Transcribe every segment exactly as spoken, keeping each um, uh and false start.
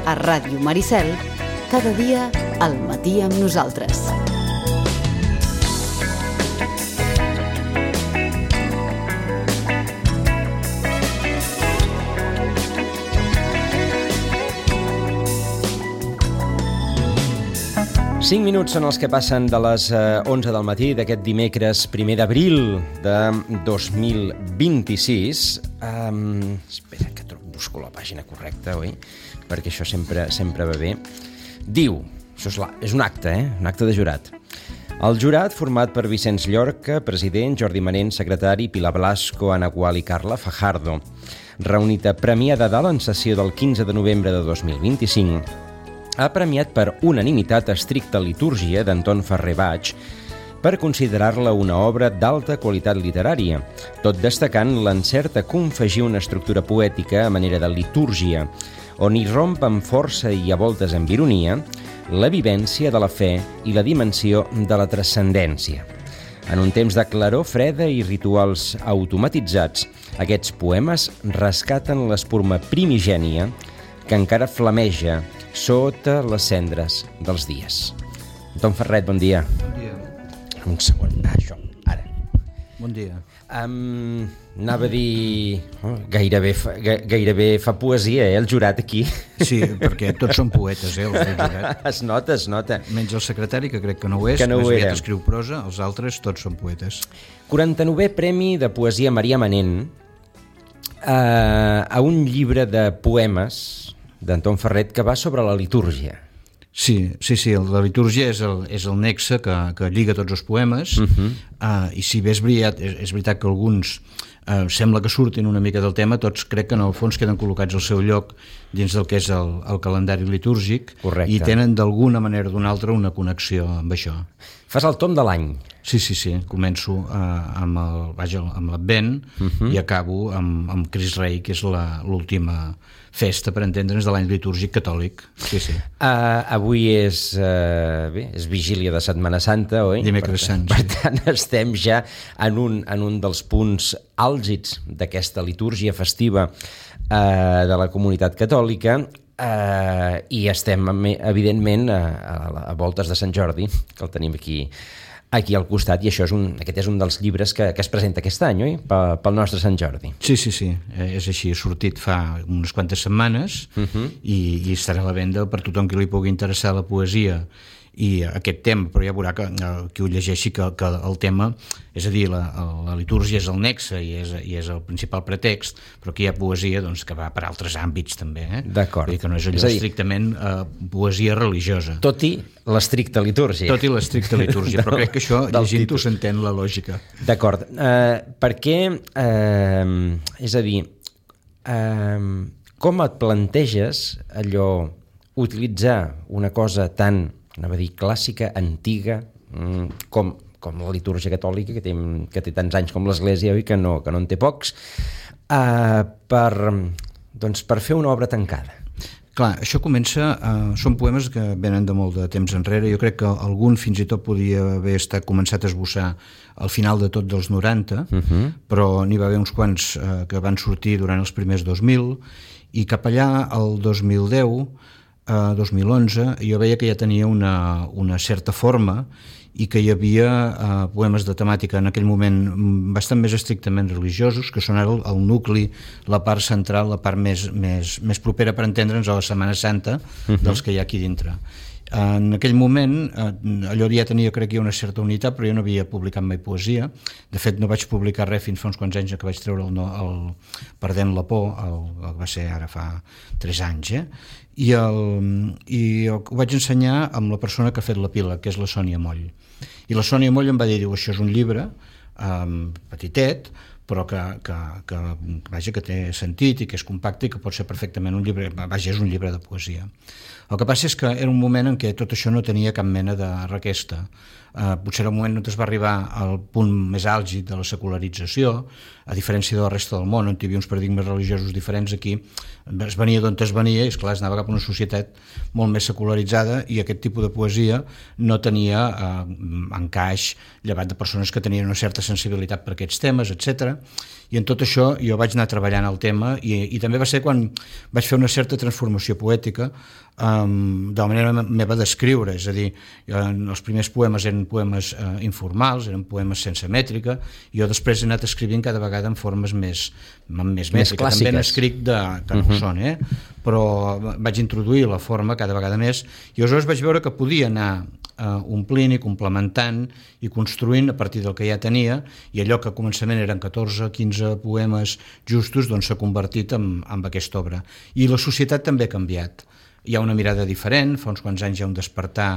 A Ràdio Maricel, cada dia al matí amb nosaltres. Cinc minuts són els que passen de les onze del matí d'aquest dimecres primer d'abril de dos mil vint-i-sis. Um, espera, que busco la pàgina correcta, oi? Perquè això sempre sempre va bé. Diu, això és, la, és un acte, eh? Un acte de jurat. El jurat, format per Vicenç Llorca, president, Jordi Manent, secretari, Pilar Blasco, Ana Gual i Carla Fajardo, reunit a Premià de Dalt en sessió del quinze de novembre de dos mil vint-i-cinc, ha premiat per unanimitat Estricta Litúrgia d'Anton Ferrer Baig per considerar-la una obra d'alta qualitat literària, tot destacant l'encert a confegir una estructura poètica a manera de litúrgia, on hi romp amb força i a voltes amb ironia la vivència de la fe i la dimensió de la transcendència. En un temps de claror freda i rituals automatitzats, aquests poemes rescaten l'espurna primigènia que encara flameja sota les cendres dels dies. Anton Ferret, bon dia. Bon dia. Un segon, ah, això, ara. Bon dia. Um, anava a dir... Oh, gairebé, fa, gairebé fa poesia, eh, el jurat aquí. Sí, perquè tots són poetes, eh, els del jurat. Es nota, es nota. Menys el secretari, que crec que no ho és, que no més ho aviat era. Escriu prosa, els altres tots són poetes. quaranta-novè Premi de Poesia Maria Manent uh, a un llibre de poemes d'Anton Ferret que va sobre la litúrgia. Sí, sí, sí, la litúrgia és el, és el nexe que, que lliga tots els poemes, uh-huh. uh, i si bé és veritat, és, és veritat que alguns uh, sembla que surtin una mica del tema, tots crec que en el fons queden col·locats al seu lloc dins del que és el, el calendari litúrgic. Correcte. I tenen d'alguna manera o d'una altra una connexió amb això. Fas el tom de l'any. Sí, sí, sí, començo uh, amb el, vaja, amb l'Advent uh-huh. i acabo amb, amb Crist Rei, que és la, l'última festa, per entendre'ns, de l'any litúrgic catòlic. Sí, sí. Uh, avui és, uh, bé, és vigília de Setmana Santa, oi? Dimecres Sant, sí. Per tant, estem ja en un, en un dels punts àlgids d'aquesta litúrgia festiva uh, de la comunitat catòlica, uh, i estem, evidentment, a, a, a voltes de Sant Jordi, que el tenim aquí aquí al costat, i això és un, aquest és un dels llibres que, que es presenta aquest any, oi? Pel, pel nostre Sant Jordi. Sí, sí, sí, és així, ha sortit fa unes quantes setmanes uh-huh. i, i estarà a la venda per tothom que li pugui interessar la poesia i aquest tema, però ja veurà que, que ho llegeixi que, que el tema, és a dir, la, la litúrgia és el nexe i és, i és el principal pretext, però aquí hi ha poesia doncs, que va per altres àmbits també, eh? D'acord. Vull dir que no és allò és dir, estrictament eh, poesia religiosa. Tot i l'estricta litúrgia. Tot i l'estricta litúrgia, però crec que això llegint-ho s'entén la lògica. D'acord. Uh, perquè, uh, és a dir, uh, com et planteges allò, utilitzar una cosa tan, anava a dir, clàssica, antiga, com, com la litúrgia catòlica, que té, que té tants anys com l'Església, oi, que no, que no en té pocs, uh, per, doncs, per fer una obra tancada. Clar, això comença, uh, són poemes que venen de molt de temps enrere, jo crec que algun fins i tot podia haver estat començat a esbossar al final de tot dels noranta, uh-huh. però n'hi va haver uns quants uh, que van sortir durant els primers dos mil, i cap allà, el dos mil deu, Uh, dos mil onze, jo veia que ja tenia una, una certa forma i que hi havia uh, poemes de temàtica en aquell moment bastant més estrictament religiosos, que són ara el, el nucli, la part central, la part més, més, més propera per entendre'ns a la Setmana Santa uh-huh. dels que hi ha aquí dintre. En aquell moment, allò ja tenia, crec que una certa unitat, però jo no havia publicat mai poesia. De fet, no vaig publicar res fins fa uns quants anys que vaig treure el, el Perdent la por, el, el va ser ara fa tres anys, eh? I, el, i ho vaig ensenyar amb la persona que ha fet l'epíleg, que és la Sònia Moll. I la Sònia Moll em va dir, diu, això és un llibre um, petitet, però que, que, que, vaja, que té sentit i que és compacte i que pot ser perfectament un llibre, vaja, és un llibre de poesia. El que passa és que era un moment en què tot això no tenia cap mena de requesta. eh, potser en el moment on es va arribar al punt més àlgid de la secularització, a diferència de la resta del món, on hi havia uns paradigmes religiosos diferents, aquí es venia d'on es venia i, esclar, es anava cap a una societat molt més secularitzada i aquest tipus de poesia no tenia eh, encaix, llevat de persones que tenien una certa sensibilitat per aquests temes, etcètera. I en tot això jo vaig anar treballant el tema i, i també va ser quan vaig fer una certa transformació poètica um, de la manera meva d'escriure, és a dir, els primers poemes eren poemes uh, informals, eren poemes sense mètrica, i jo després he anat escrivint cada vegada en formes més, més mètriques, també n'escric de, que no uh-huh. són, eh? Però vaig introduir la forma cada vegada més i aleshores vaig veure que podia anar uh, omplint i complementant i construint a partir del que ja tenia, i allò que a començament eren catorze quinze poemes justos doncs s'ha convertit en, en aquesta obra. I la societat també ha canviat, hi ha una mirada diferent, fa uns quants anys hi ha un despertar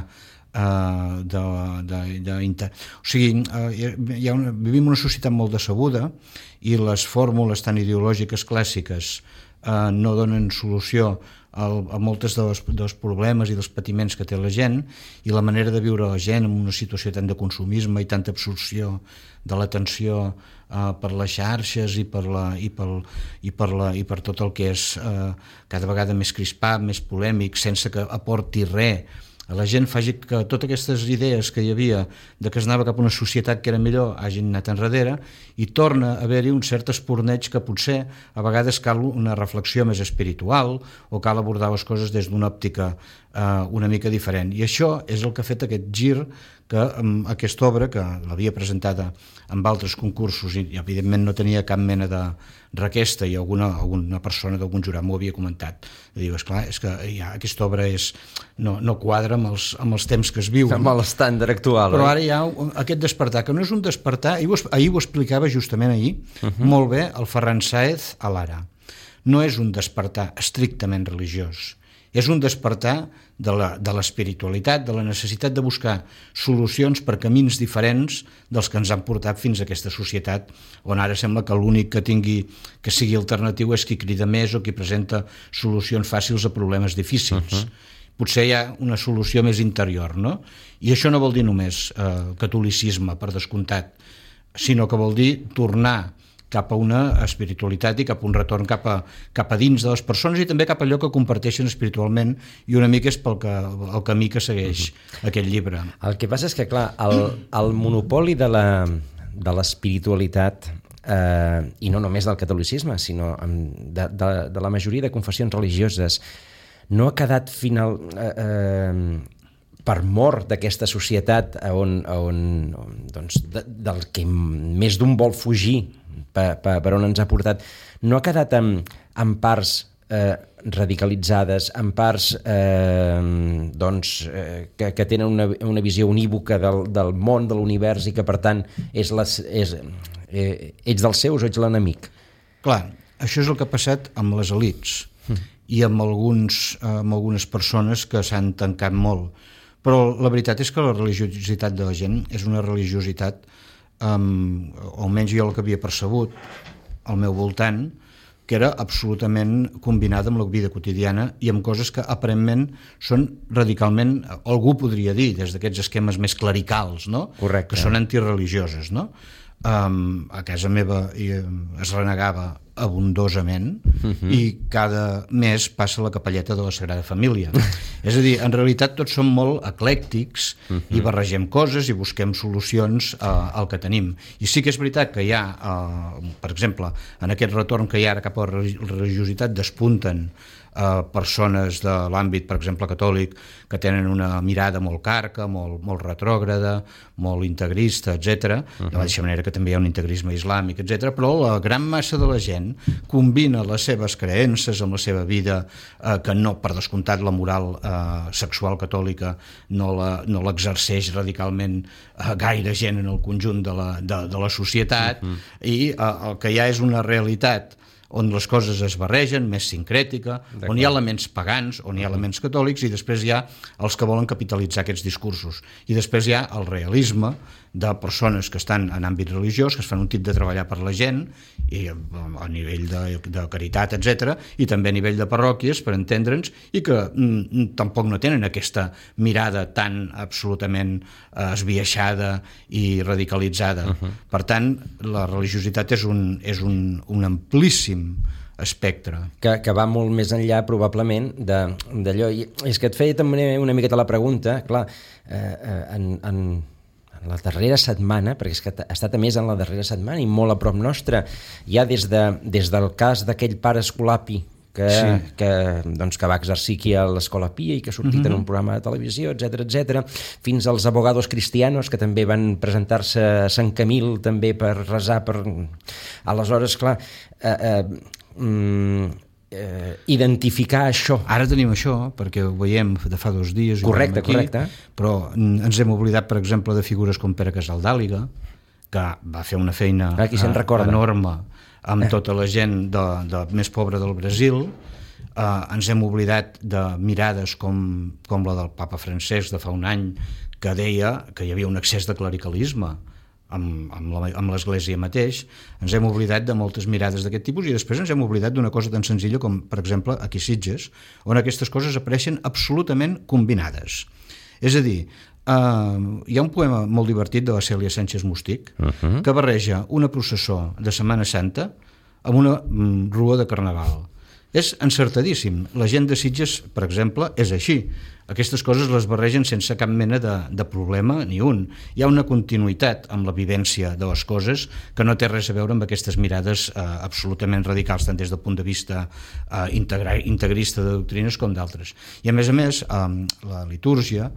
Uh, de, de, de, de, o sigui, uh, hi ha una, vivim una societat molt decebuda i les fórmules tan ideològiques clàssiques uh, no donen solució a, a moltes dels, dels problemes i dels patiments que té la gent, i la manera de viure la gent en una situació tant de consumisme i tanta absorció de l'atenció uh, per les xarxes i per, la, i, pel, i, per la, i per tot el que és uh, cada vegada més crispat, més polèmic, sense que aporti res a la gent, faci que totes aquestes idees que hi havia de que es anava cap a una societat que era millor hagin anat enrere, i torna a haver-hi un cert esporneig que potser a vegades cal una reflexió més espiritual o cal abordar les coses des d'una òptica eh, una mica diferent. I això és el que ha fet aquest gir que um, aquesta obra, que l'havia presentada en altres concursos i, i evidentment no tenia cap mena de requesta, i alguna, alguna persona d'algun jurat m'ho havia comentat. I diu, esclar, és que ja aquesta obra és, no, no quadra amb els, amb els temps que es viuen. Amb l'estàndard actual. Però eh? ara hi ha aquest despertar, que no és un despertar, ahir ho, ahir ho explicava justament ahir, uh-huh. molt bé, el Ferran Sáez a l'Ara. No és un despertar estrictament religiós, és un despertar de la, de l'espiritualitat, de la necessitat de buscar solucions per camins diferents dels que ens han portat fins a aquesta societat, on ara sembla que l'únic que tingui que sigui alternatiu és qui crida més o qui presenta solucions fàcils a problemes difícils. Uh-huh. Potser hi ha una solució més interior, no? I això no vol dir només eh, catolicisme, per descomptat, sinó que vol dir tornar cap a una espiritualitat i cap a un retorn cap a, cap a dins de les persones i també cap a allò que comparteixen espiritualment, i una mica és pel que, el camí que segueix uh-huh. aquest llibre. El que passa és que, clar, el, el monopoli de la, de l'espiritualitat, eh, i no només del catolicisme, sinó de, de, de la majoria de confessions religioses, no ha quedat final... Eh, eh, per mort d'aquesta societat on, on, doncs, de, del que més d'un vol fugir per, per, per on ens ha portat, no ha quedat en, en parts eh, radicalitzades, en parts eh, doncs, eh, que, que tenen una, una visió unívoca del, del món, de l'univers, i que per tant és les, és, eh, ets dels seus o ets l'enemic. Clar, això és el que ha passat amb les elits mm. i amb, alguns, amb algunes persones que s'han tancat molt. Però la veritat és que la religiositat de la gent és una religiositat, um, o almenys jo el que havia percebut al meu voltant, que era absolutament combinada amb la vida quotidiana i amb coses que aparentment són radicalment, algú podria dir, des d'aquests esquemes més clericals, no? Correcte. Que són antireligioses, no? Um, a casa meva es renegava abundosament uh-huh. i cada mes passa la capelleta de la Sagrada Família. És a dir, en realitat tots som molt eclèctics uh-huh. i barregem coses i busquem solucions uh, al que tenim. I sí que és veritat que hi ha, uh, per exemple, en aquest retorn que hi ha ara cap a la religiositat despunten Uh, persones de l'àmbit, per exemple, catòlic, que tenen una mirada molt carca, molt, molt retrògrada, molt integrista, etcètera. Uh-huh. De la mateixa manera que també hi ha un integrisme islàmic, etcètera. Però la gran massa de la gent combina les seves creences amb la seva vida, uh, que no, per descomptat, la moral uh, sexual catòlica no, la, no l'exerceix radicalment uh, gaire gent en el conjunt de la, de, de la societat, uh-huh. i uh, el que hi ha és una realitat on les coses es barregen, més sincrètica, on hi ha elements pagans, on hi ha elements catòlics, i després hi ha els que volen capitalitzar aquests discursos. I després hi ha el realisme, de persones que estan en àmbit religiós, que es fan un tip de treballar per la gent, i a nivell de, de caritat, etcètera, i també a nivell de parròquies, per entendre'ns, i que mm, tampoc no tenen aquesta mirada tan absolutament eh, esbiaixada i radicalitzada. Uh-huh. Per tant, la religiositat és un, és un, un amplíssim espectre. Que, que va molt més enllà, probablement, d'allò. I és que et feia també una miqueta la pregunta, clar, eh, en, en, en la darrera setmana, perquè és que ha estat a més en la darrera setmana i molt a prop nostra, ja des, de, des del cas d'aquell pare Escolapi que, sí. que, doncs, que va exercir aquí a l'Escola Pia i que ha sortit mm-hmm. en un programa de televisió, etcètera, etcètera, fins als abogados cristianos que també van presentar-se a Sant Camil també per resar per... Aleshores, clar, eh, eh, mm, eh, identificar això. Ara tenim això, perquè ho veiem de fa dos dies. Correcte, aquí, correcte. Però ens hem oblidat, per exemple, de figures com Pere Casaldàliga, que va fer una feina Aquí se'n recorda. enorme amb eh. tota la gent de, de més pobra del Brasil. Eh, ens hem oblidat de mirades com, com la del papa Francesc de fa un any, que deia que hi havia un excés de clericalisme amb, amb, la, amb l'Església mateix. Ens hem oblidat de moltes mirades d'aquest tipus i després ens hem oblidat d'una cosa tan senzilla com, per exemple, aquí a Sitges, on aquestes coses apareixen absolutament combinades. És a dir, Uh, hi ha un poema molt divertit de la Cèlia Sánchez Mustic uh-huh. que barreja una processó de Setmana Santa amb una mm, rua de Carnaval. És encertadíssim. La gent de Sitges, per exemple, és així. Aquestes coses les barregen sense cap mena de, de problema ni un. Hi ha una continuïtat amb la vivència de les coses que no té res a veure amb aquestes mirades eh, absolutament radicals, tant des del punt de vista eh, integra, integrista de doctrines com d'altres. I a més a més, eh, la litúrgia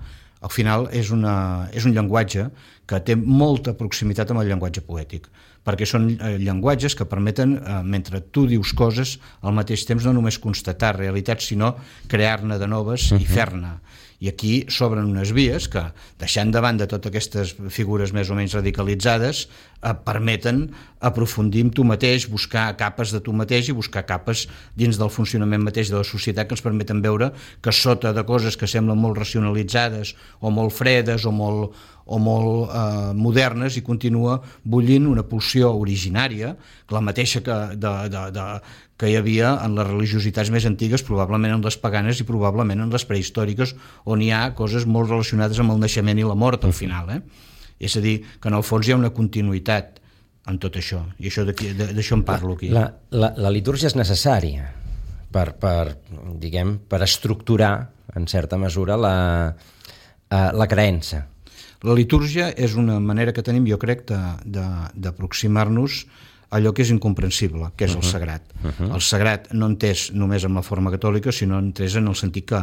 al final és, una, és un llenguatge que té molta proximitat amb el llenguatge poètic, perquè són eh, llenguatges que permeten, eh, mentre tu dius coses, al mateix temps no només constatar realitats, sinó crear-ne de noves uh-huh. i fer-ne. I aquí s'obren unes vies que, deixant de banda totes aquestes figures més o menys radicalitzades, eh, permeten aprofundir en tu mateix, buscar capes de tu mateix i buscar capes dins del funcionament mateix de la societat que ens permeten veure que sota de coses que semblen molt racionalitzades o molt fredes o molt, o molt eh, modernes hi continua bullint una pulsió originària, la mateixa que, de, de, de, que hi havia en les religiositats més antigues, probablement en les paganes i probablement en les prehistòriques, on hi ha coses molt relacionades amb el naixement i la mort al final. Eh? És a dir, que en el fons hi ha una continuïtat en tot això, i això d'això en parlo aquí. La, la, la litúrgia és necessària per, per, diguem, per estructurar, en certa mesura, la, la creença. La litúrgia és una manera que tenim, jo crec, d'aproximar-nos allò que és incomprensible, que és uh-huh. el sagrat. Uh-huh. El sagrat no entès només amb la forma catòlica, sinó entès en el sentit que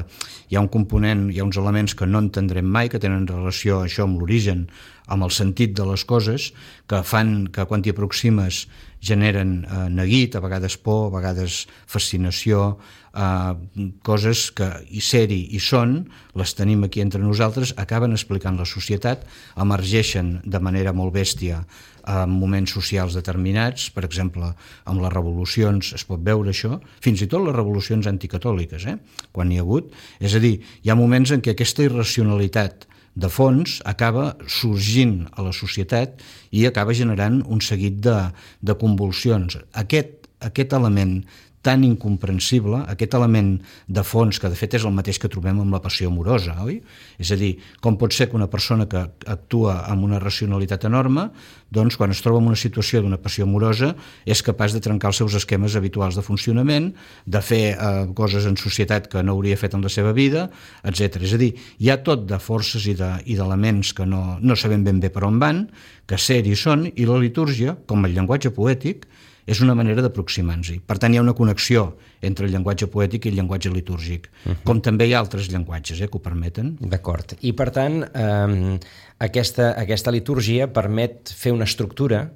hi ha un component, hi ha uns elements que no entendrem mai, que tenen relació això amb l'origen, amb el sentit de les coses, que fan que quan t'hi aproximes generen eh, neguit, a vegades por, a vegades fascinació, eh, coses que hi ser-hi i són, les tenim aquí entre nosaltres, acaben explicant la societat, emergeixen de manera molt bèstia en moments socials determinats, per exemple, amb les revolucions es pot veure això, fins i tot les revolucions anticatòliques, eh? quan hi ha hagut. És a dir, hi ha moments en què aquesta irracionalitat de fons acaba sorgint a la societat i acaba generant un seguit de, de convulsions. Aquest, aquest element tan incomprensible, aquest element de fons, que de fet és el mateix que trobem amb la passió amorosa, oi? És a dir, com pot ser que una persona que actua amb una racionalitat enorme, doncs quan es troba en una situació d'una passió amorosa és capaç de trencar els seus esquemes habituals de funcionament, de fer eh, coses en societat que no hauria fet en la seva vida, etcètera. És a dir, hi ha tot de forces i de, i d'elements que no, no sabem ben bé per on van, que ser-hi són, i la litúrgia, com el llenguatge poètic, és una manera d'aproximar-nos-hi. Per tant, hi ha una connexió entre el llenguatge poètic i el llenguatge litúrgic, uh-huh. com també hi ha altres llenguatges eh, que ho permeten. D'acord. I, per tant, eh, aquesta, aquesta litúrgia permet fer una estructura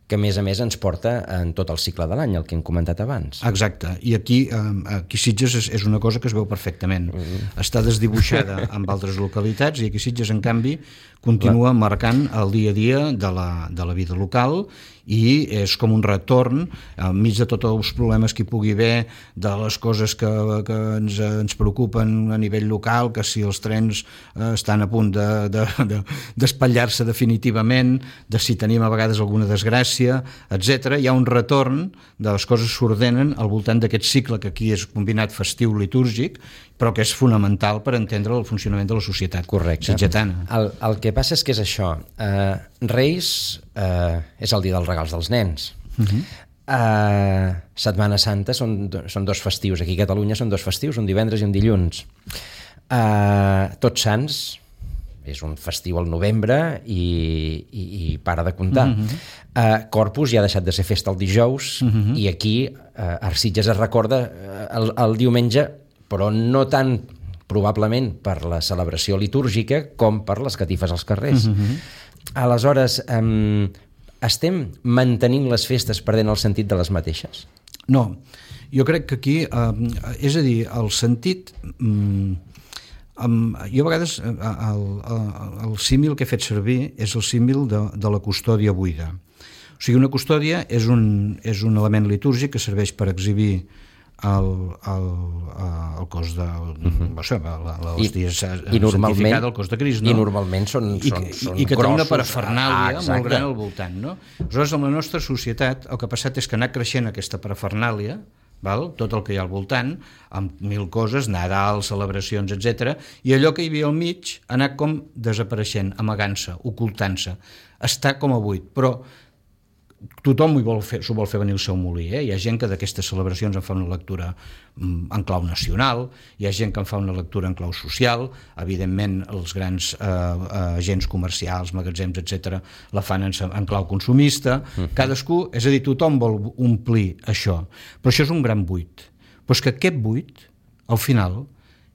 que, a més a més, ens porta en tot el cicle de l'any, el que hem comentat abans. Exacte. I aquí, eh, aquí Sitges és, és una cosa que es veu perfectament. Uh-huh. Està desdibuixada amb altres localitats i aquí Sitges, en canvi, continua marcant el dia a dia de la, de la vida local i és com un retorn enmig de tots els problemes que hi pugui haver, de les coses que, que ens, ens preocupen a nivell local, que si els trens eh, estan a punt de, de, de, d'espatllar-se definitivament, de si tenim a vegades alguna desgràcia, etcètera. Hi ha un retorn de les coses que s'ordenen al voltant d'aquest cicle que aquí és combinat festiu litúrgic, però que és fonamental per entendre el funcionament de la societat sitgetana. El, el que passa és que és això. Uh, Reis uh, és el dia dels regals dels nens. Uh-huh. Uh, Setmana Santa són, són dos festius. Aquí a Catalunya són dos festius, un divendres i un dilluns. Uh, Tots Sants és un festiu al novembre i, i, i para de comptar. Uh-huh. uh, Corpus ja ha deixat de ser festa el dijous, uh-huh. i aquí uh, a Sitges es recorda uh, el, el diumenge, però no tant probablement per la celebració litúrgica com per les catifes als carrers. Uh-huh. Aleshores, um, estem mantenint les festes perdent el sentit de les mateixes? No, jo crec que aquí, eh, és a dir, el sentit... Um, um, jo a vegades el, el, el símil que he fet servir és el símil de, de la custòdia buida. O sigui, una custòdia és un, és un element litúrgic que serveix per exhibir el, el, el cos de uh-huh. això, l'hòstia santificada, el cos de Crist, no? I normalment són, I, són, són i que grossos, té una parafernàlia ah, molt gran al voltant, no? Aleshores, en la nostra societat el que ha passat és que ha anat creixent aquesta parafernàlia, val? Tot el que hi ha al voltant, amb mil coses, Nadal, celebracions, etcètera, i allò que hi havia al mig ha anat com desapareixent, amagant-se, ocultant-se, està com a buit, però tothom s'ho vol, fer, vol fer venir el seu molí, eh? Hi ha gent que d'aquestes celebracions en fa una lectura en clau nacional, hi ha gent que en fa una lectura en clau social, evidentment els grans eh, agents comercials, magatzems, etcètera, la fan en, en clau consumista, uh-huh. cadascú, és a dir, tothom vol omplir això, però això és un gran buit, però és que aquest buit, al final,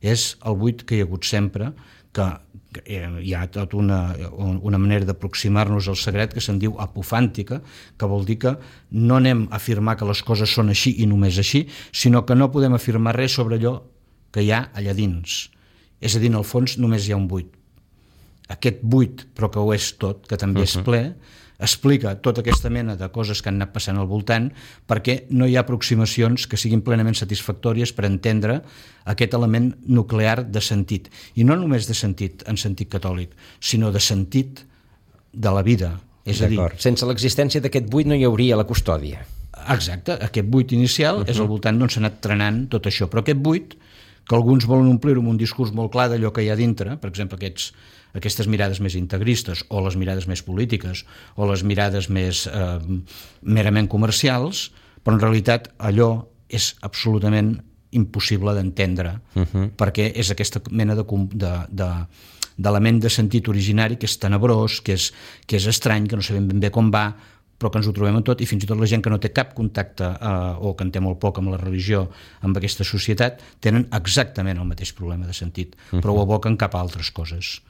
és el buit que hi ha hagut sempre, que hi ha tota una, una manera d'aproximar-nos al sagrat que se'n diu apofàntica, que vol dir que no anem a afirmar que les coses són així i només així, sinó que no podem afirmar res sobre allò que hi ha allà dins. És a dir, en el fons només hi ha un buit. Aquest buit, però que ho és tot, que també uh-huh. és ple, explica tota aquesta mena de coses que han anat passant al voltant, perquè no hi ha aproximacions que siguin plenament satisfactòries per entendre aquest element nuclear de sentit. I no només de sentit en sentit catòlic, sinó de sentit de la vida. És a dir, sense l'existència d'aquest buit no hi hauria la custòdia. Exacte, aquest buit inicial uh-huh. és al voltant d'on s'ha anat trenant tot això, però aquest buit, que alguns volen omplir-ho amb un discurs molt clar d'allò que hi ha dintre, per exemple, aquests aquestes mirades més integristes o les mirades més polítiques o les mirades més eh, merament comercials, però en realitat allò és absolutament impossible d'entendre uh-huh. perquè és aquesta mena de, de, de, d'element de sentit originari que és tenebrós, que és, que és estrany, que no sabem ben bé com va, però que ens ho trobem en tot, i fins i tot la gent que no té cap contacte eh, o que en té molt poc amb la religió, amb aquesta societat, tenen exactament el mateix problema de sentit, uh-huh. però ho aboquen cap a altres coses.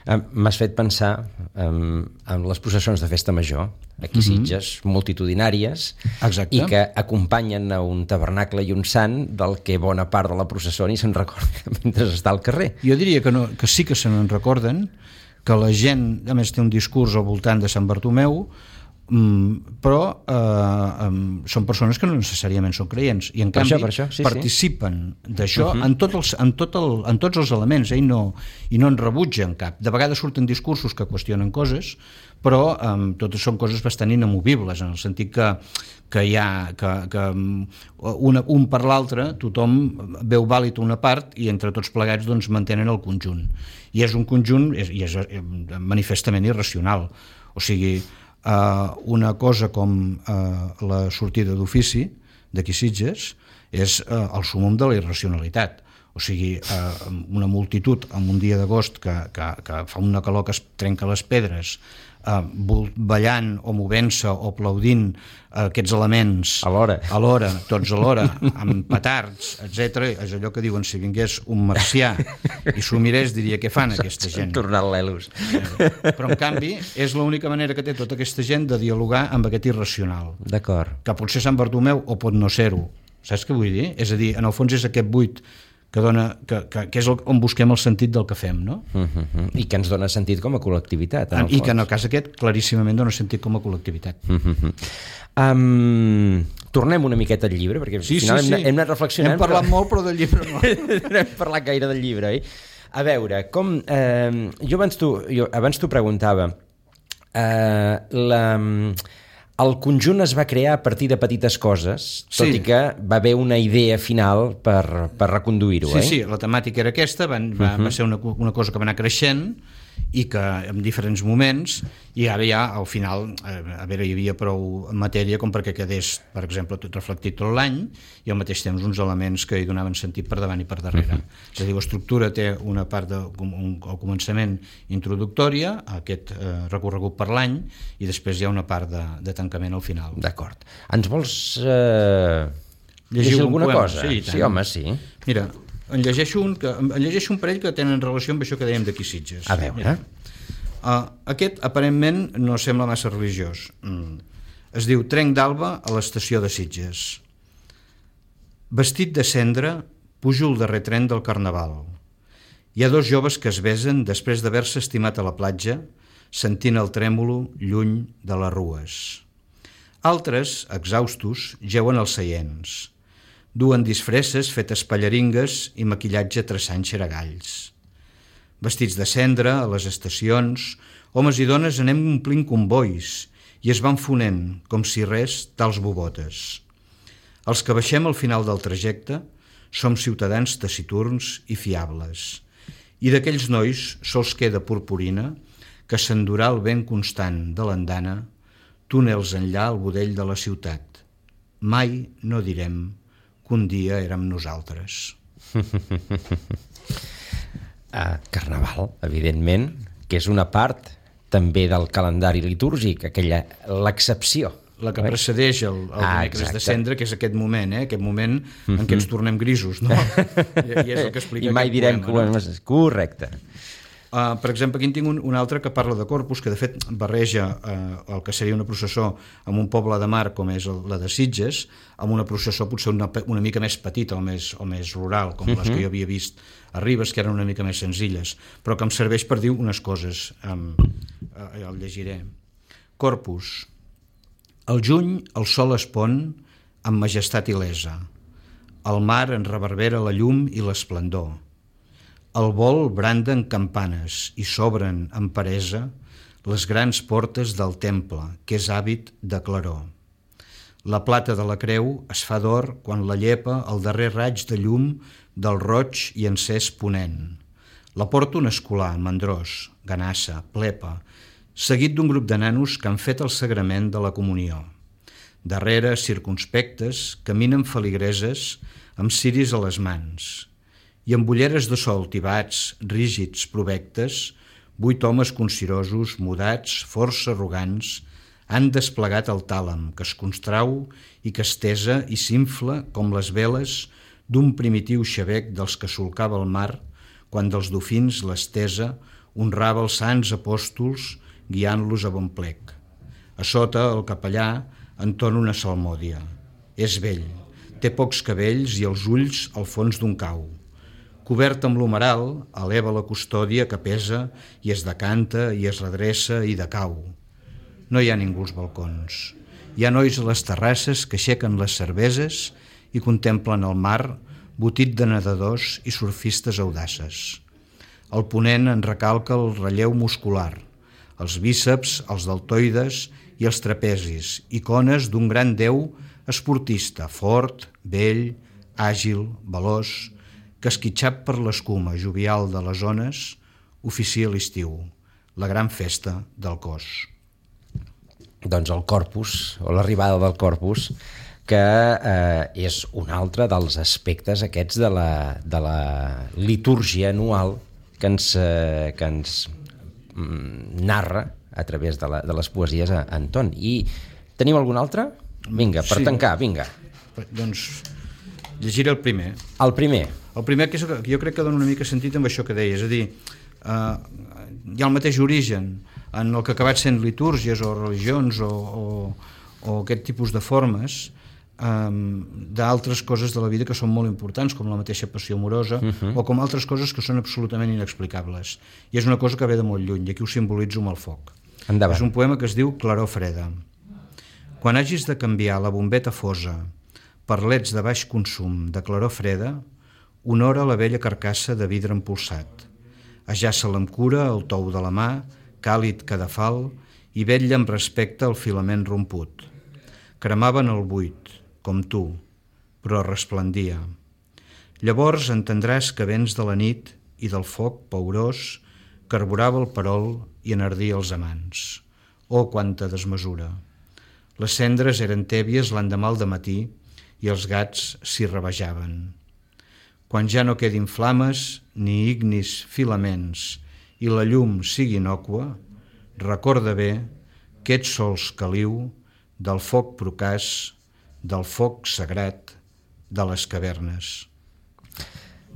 Um, m'has fet pensar um, en les processons de festa major, aquí a Sitges, uh-huh. multitudinàries, exacte. I que acompanyen a un tabernacle i un sant del que bona part de la processó ni se'n recorda mentre està al carrer. Jo diria que, no, que sí que se n'en recorden, que la gent, a més, té un discurs al voltant de Sant Bartomeu, Mm, però eh, um, són persones que no necessàriament són creients i en per canvi això, això. Sí, participen sí. d'això uh-huh. en, tot els, en, tot el, en tots els elements eh, i, no, i no en rebutgen cap. De vegades surten discursos que qüestionen coses, però um, totes són coses bastant inamovibles, en el sentit que, que hi ha que, que una, un per l'altre tothom veu vàlid una part i entre tots plegats doncs, mantenen el conjunt, i és un conjunt és, i és manifestament irracional, o sigui Uh, una cosa com uh, la sortida d'ofici d'aquí Sitges és uh, el súmmum de la irracionalitat. O sigui, uh, una multitud en un dia d'agost que, que, que fa una calor que es trenca les pedres, uh, ballant o movent-se o aplaudint uh, aquests elements alhora, alhora tots alhora, amb petards, etcètera. És allò que diuen, si vingués un marcià i s'ho mirés, diria què fan aquesta gent. Tornar l'Elus. Però en canvi és l'única manera que té tota aquesta gent de dialogar amb aquest irracional. D'acord. Que pot ser Sant Bartomeu o pot no ser-ho. Saps què vull dir? És a dir, en el fons és aquest buit que, dona, que, que, que és el, on busquem el sentit del que fem, no? Uh-huh. I que ens dona sentit com a col·lectivitat, en el I fons. que en el cas aquest claríssimament dona sentit com a col·lectivitat. Uh-huh. Um, tornem una miqueta al llibre, perquè sí, al final sí, sí. Hem, hem anat reflexionant. Hem parlat però... molt, però del llibre no. no hem parlat gaire del llibre, oi? A veure, com... Eh, jo abans t'ho jo abans t'ho preguntava. Eh, la... El conjunt es va crear a partir de petites coses, tot sí. i que va haver una idea final per, per reconduir-ho, sí, eh? Sí, sí, la temàtica era aquesta, va, va, uh-huh. va ser una, una cosa que va anar creixent i que en diferents moments, i ara ja al final, a veure, hi havia prou matèria com perquè quedés, per exemple, tot reflectit tot l'any i al mateix temps uns elements que hi donaven sentit per davant i per darrere. Uh-huh. És a dir, l'estructura té una part de, un, al començament introductòria, aquest eh, recorregut per l'any, i després hi ha una part de, de tancament al final. D'acord. Ens vols eh, llegir, llegir alguna poema? Cosa? Sí, sí, home, sí. Mira, en llegeixo un, que, en llegeixo un parell que tenen relació amb això que dèiem d'aquí Sitges. A veure. Uh, aquest aparentment no sembla massa religiós. Mm. Es diu Trenc d'alba a l'estació de Sitges. Vestit de cendra, pujo el darrer tren del Carnaval. Hi ha dos joves que es besen després d'haver-se estimat a la platja, sentint el trèmolo lluny de les rues. Altres, exhaustos, jeuen als seients. Duen disfresses fetes pallaringues i maquillatge traçant xeragalls. Vestits de cendra, a les estacions, homes i dones anem omplint convois i es van fonent, com si res, tals bobotes. Els que baixem al final del trajecte som ciutadans taciturns i fiables, i d'aquells nois sols queda purpurina que s'endurà el vent constant de l'andana, túnels enllà al budell de la ciutat. Mai no direm que un dia érem nosaltres. uh, Carnaval, evidentment, que és una part també del calendari litúrgic, aquella l'excepció. La que precedeix el, el ah, dimecres de cendra, que és aquest moment, eh? aquest moment mm-hmm. en què ens tornem grisos, no? I, i és el que explica I mai direm poema, que... No? Correcte. Uh, per exemple, aquí en tinc un, un altre que parla de Corpus, que de fet barreja uh, el que seria una processó amb un poble de mar com és el, la de Sitges, amb una processó potser una, una mica més petita o més, o més rural, com uh-huh. les que jo havia vist a Ribes, que eren una mica més senzilles, però que em serveix per dir unes coses. Um, uh, el llegiré. Corpus. Al juny el sol es pon amb majestat il·lesa. El mar en reverbera la llum i l'esplendor. Al vol branden campanes i s'obren amb peresa les grans portes del temple, que és hàbit de claror. La plata de la creu es fa d'or quan la llepa el darrer raig de llum del roig i encès ponent. La porta un escolà, mandrós, ganassa, plepa, seguit d'un grup de nanos que han fet el sagrament de la comunió. Darrere, circunspectes, caminen feligreses amb ciris a les mans. I amb ulleres de sol tibats, rígids, provectes, vuit homes concirosos, mudats, força arrogants, han desplegat el tàlam, que es constrau i que estesa i s'infla com les veles d'un primitiu xabec dels que solcava el mar quan dels dofins l'estesa honrava els sants apòstols guiant-los a bon plec. A sota, el capellà entona una salmòdia. És vell, té pocs cabells i els ulls al fons d'un cau. Cobert amb l'humeral, eleva la custòdia que pesa i es decanta i es redreça i decau. No hi ha ningú als balcons. Hi ha nois a les terrasses que aixequen les cerveses i contemplen el mar, botit de nedadors i surfistes audaces. El ponent en recalca el relleu muscular, els bíceps, els deltoides i els trapezis, icones d'un gran déu esportista, fort, vell, àgil, veloç, que esquitxat per l'escuma jovial de les ones oficia l'estiu, la gran festa del cos. Doncs el Corpus, o l'arribada del Corpus, que eh, és un altre dels aspectes aquests de la, de la litúrgia anual que ens, eh, que ens mm, narra a través de, la, de les poesies a Anton. I tenim algun altre? Vinga, per sí. tancar, vinga. Doncs llegiré el primer. El primer. El primer que, és, que jo crec que dona una mica sentit amb això que deia, és a dir, eh, hi ha el mateix origen en el que ha acabat sent litúrgies o religions o, o, o aquest tipus de formes, um, d'altres coses de la vida que són molt importants, com la mateixa passió amorosa, uh-huh. o com altres coses que són absolutament inexplicables. I és una cosa que ve de molt lluny, i aquí ho simbolitzo amb el foc. Endavant. És un poema que es diu Claror freda. Quan hagis de canviar la bombeta fosa per leds de baix consum de claror freda, honora la vella carcassa de vidre empolsat. Ajaça-la amb cura el tou de la mà, càlid cadafal, i vetlla amb respecte al filament romput. Cremava en el buit, com tu, però resplendia. Llavors entendràs que vens de la nit i del foc paurós carburava el perol i enardia els amants. Oh, quanta desmesura! Les cendres eren tèbies l'endemà al dematí i els gats s'hi rabejaven. Quan ja no quedin flames ni ignis filaments i la llum sigui innòcua, recorda bé que ets sols caliu del foc procàs, del foc sagrat de les cavernes.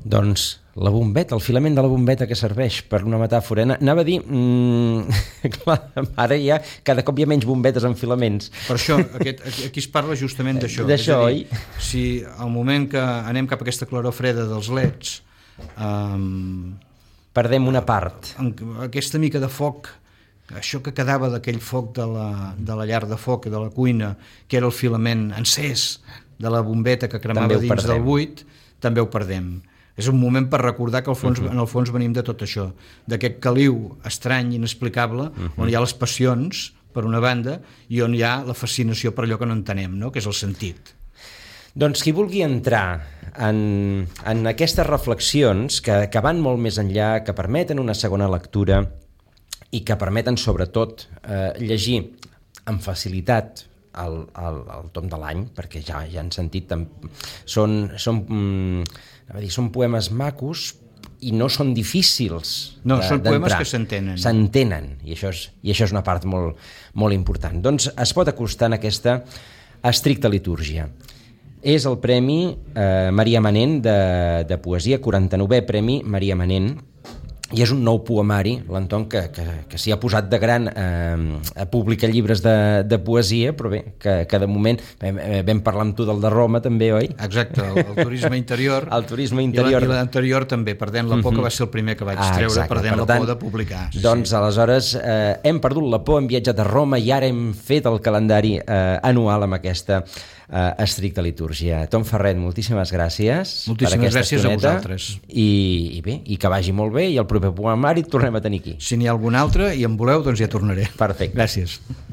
Doncs la bombeta, el filament de la bombeta que serveix per una metàfora. Anava a dir, mmm, clar, ara ja cada cop hi ha menys bombetes amb filaments. Per això, aquest, aquí es parla justament d'això. D'això, oi? Si al moment que anem cap a aquesta claror freda dels leds, um, perdem una part. Aquesta mica de foc, això que quedava d'aquell foc de la, de la llar de foc, de la cuina, que era el filament encès de la bombeta que cremava dins perdem. Del buit, també ho perdem. És un moment per recordar que al fons, uh-huh. en el fons venim de tot això, d'aquest caliu estrany, inexplicable, uh-huh. on hi ha les passions, per una banda, i on hi ha la fascinació per allò que no entenem, no? Que és el sentit. Doncs qui vulgui entrar en, en aquestes reflexions que, que van molt més enllà, que permeten una segona lectura i que permeten, sobretot, eh, llegir amb facilitat el, el, el tom de l'any, perquè ja, ja han sentit, són... són mm, a dir, són poemes macos i no són difícils no, de, són poemes que s'entenen. S'entenen, i això és, i això és una part molt, molt important. Doncs es pot acostar en aquesta estricta litúrgia. És el Premi eh, Maria Manent de, de poesia, quaranta-novè Premi Maria Manent, i és un nou poemari, l'Anton, que, que, que s'hi ha posat de gran eh, a publicar llibres de, de poesia, però bé, que, que de moment vam, vam parlar amb tu del de Roma també, oi? Exacte, el, el turisme interior. El turisme interior. I l'anterior també, Perdent la por, que va ser el primer que vaig ah, treure, exacte. Perdent per la tant, por de publicar. Doncs sí. Aleshores eh, hem perdut la por, hem viatjat a Roma i ara hem fet el calendari eh, anual amb aquesta eh, estricta litúrgia. Tom Ferret, moltíssimes gràcies. Moltíssimes gràcies estoneta, a vosaltres. I, I bé, i que vagi molt bé, i el proper poemari et tornem a tenir aquí. Si n'hi ha algun altre i en voleu, doncs ja tornaré. Perfecte. Gràcies.